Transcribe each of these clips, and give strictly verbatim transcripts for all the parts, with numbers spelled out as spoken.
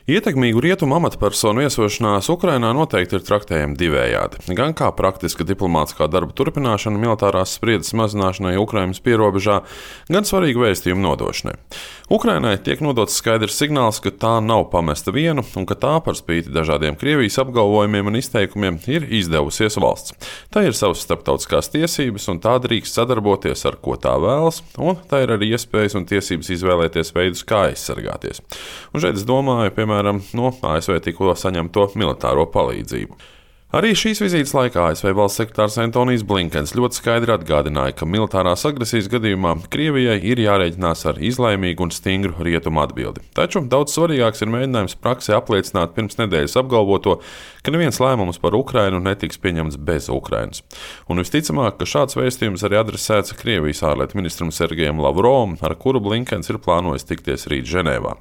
Ietekmīgu rietumu amatpersonu viesošanās Ukrainā noteikti ir traktējama divējādi. Gan kā praktiska diplomātiskā darba turpināšana militārās spriedzes mazināšanai Ukrainas pierobežā, gan svarīgu vēstījumu nodošanai. Ukrainai tiek nodots skaidrs signāls, ka tā nav pamesta viena un ka tā par spīti dažādiem Krievijas apgalvojumiem un izteikumiem ir izdevusies valsts. Tā ir savas starptautiskās tiesības un tā drīkst sadarboties ar ko tā vēlas, un tā ir arī iespējas un tiesības izvēlēties veidus, kā aizsargāties. Un šeit es domāju, piemēram, no A S V tikko saņemto militāro palīdzību. Arī šīs vizītes laikā A S V valsts sekretārs Antonijs Blinkens ļoti skaidri atgādināja, ka militārās agresijas gadījumā Krievijai ir jārēķinās ar izlēmīgu un stingru rietumu atbildi. Taču daudz svarīgāks ir mēģinājums praksē apliecināt pirms nedēļas apgalvoto, ka neviens lēmums par Ukrainu netiks pieņemts bez Ukrainas. Un visticamāk, ka šāds vēstījums arī adresēts Krievijas ārlietu ministram Sergejam Lavrovam, ar kuru Blinkens ir plānojis tikties rīt Ženēvā.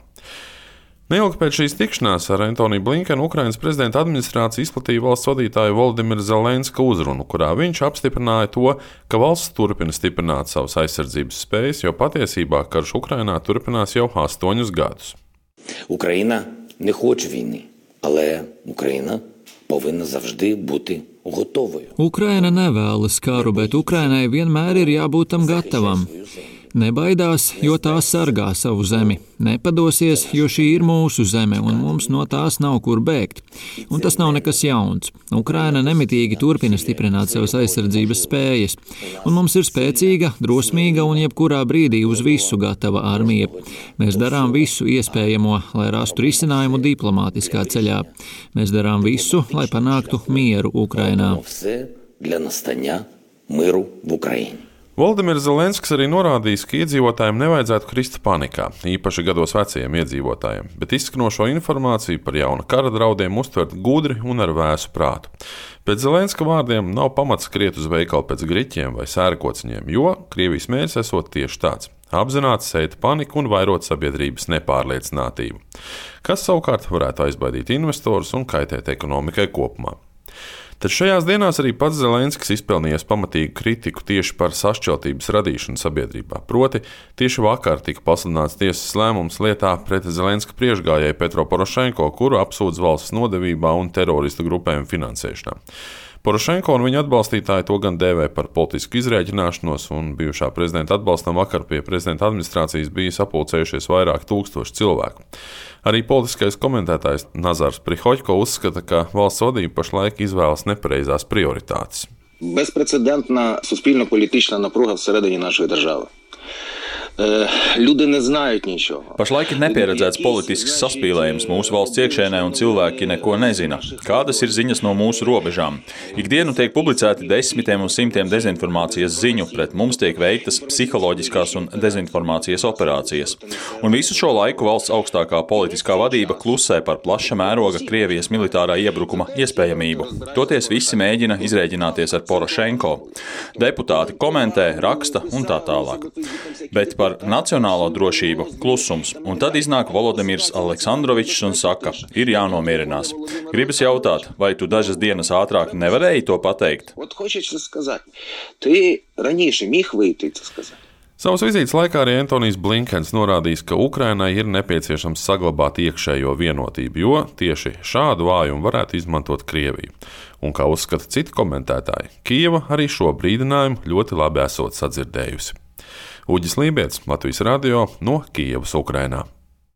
Neilgi pēc šīs tikšanās ar Antoniju Blinkenu Ukrainas prezidenta administrācija izplatīja valsts vadītāju Volodimira Zelenska uzrunu, kurā viņš apstiprināja to, ka valsts turpina stiprināt savas aizsardzības spējas, jo patiesībā karš Ukrainā turpinās jau astoņus gadus. Ukraina не хоче війни, але Україна повинна завжди бути готовою. Ukraina nevēlas karu, bet Ukrainai vienmēr ir jābūt tam gatavam. Nebaidās, jo tā sargā savu zemi. Nepadosies, jo šī ir mūsu zeme, un mums no tās nav kur bēgt. Un tas nav nekas jauns. Ukraina nemitīgi turpina stiprināt savas aizsardzības spējas, un mums ir spēcīga, drosmīga un jebkurā brīdī uz visu gatava armija. Mēs darām visu iespējamo, lai rastu risinājumu diplomātiskā ceļā. Mēs darām visu, lai panāktu mieru Ukrainā. Volodimirs Zelenskis arī norādījis, ka iedzīvotājiem nevajadzētu krist panikā, īpaši gados vecajiem iedzīvotājiem, bet izskanošo informāciju par jauna kara draudiem uztvert gudri un ar vēsu prātu. Pēc Zelenska vārdiem nav pamats skriet uz veikalu pēc griķiem vai sērkociņiem, jo Krievijas mērķis esot tieši tāds – apzināti sēt paniku un vairot sabiedrības nepārliecinātību, kas savukārt varētu aizbaidīt investorus un kaitēt ekonomikai kopumā. Taču šajās dienās arī pats Zelenskis izpelnījies pamatīgu kritiku tieši par sašķeltības radīšanu sabiedrībā. Proti, tieši vakar tika pasludināts tiesas lēmums lietā pret Zelenska priekšgājēju Petro Porošenko, kuru apsūdz valsts nodevībā un teroristu grupējumu finansēšanā. Porošenko un viņa atbalstītāji to gan dēvē par politisku izrēķināšanos, un bijušā prezidenta atbalstam vakar pie prezidenta administrācijas bija sapulcējušies vairāk tūkstoši cilvēku. Arī politiskais komentētājs Nazars Prihoļko uzskata, ka valsts vadība pašlaik izvēlas nepareizās prioritātes. Безпрецедентна суспільно-політична напруга всередині нашої держави. Люди не знають нічого. Pašlaik ir nepieredzēts politisks saspīlējums mūsu valsts iekšēnē un cilvēki neko nezina. Kādas ir ziņas no mūsu robežām? Ikdienu tiek publicēti desmitiem un simtiem dezinformācijas ziņu, pret mums tiek veiktas psiholoģiskās un dezinformācijas operācijas. Un visu šo laiku valsts augstākā politiskā vadība klusē par plaša mēroga Krievijas militārā iebrukuma iespējamību. Toties visi mēģina izrēķināties ar Porošenko. Deputāti komentē, raksta un tā tālāk. Bet par nacionālo drošību klusums, un tad iznāk Volodimirs Aleksandrovičs un saka, ir jānomierinās. Gribas jautāt, vai tu dažas dienas ātrāk nevarēji to pateikt? Savas vizītes laikā arī Antonijs Blinkens norādījis, ka Ukrainai ir nepieciešams saglabāt iekšējo vienotību, jo tieši šādu vājumu varētu izmantot Krieviju. Un kā uzskata citi komentētāji, Kijeva arī šo brīdinājumu ļoti labi esot sadzirdējusi. Uģis Lībietis, Latvijas radio no Kijevas, Ukrainā.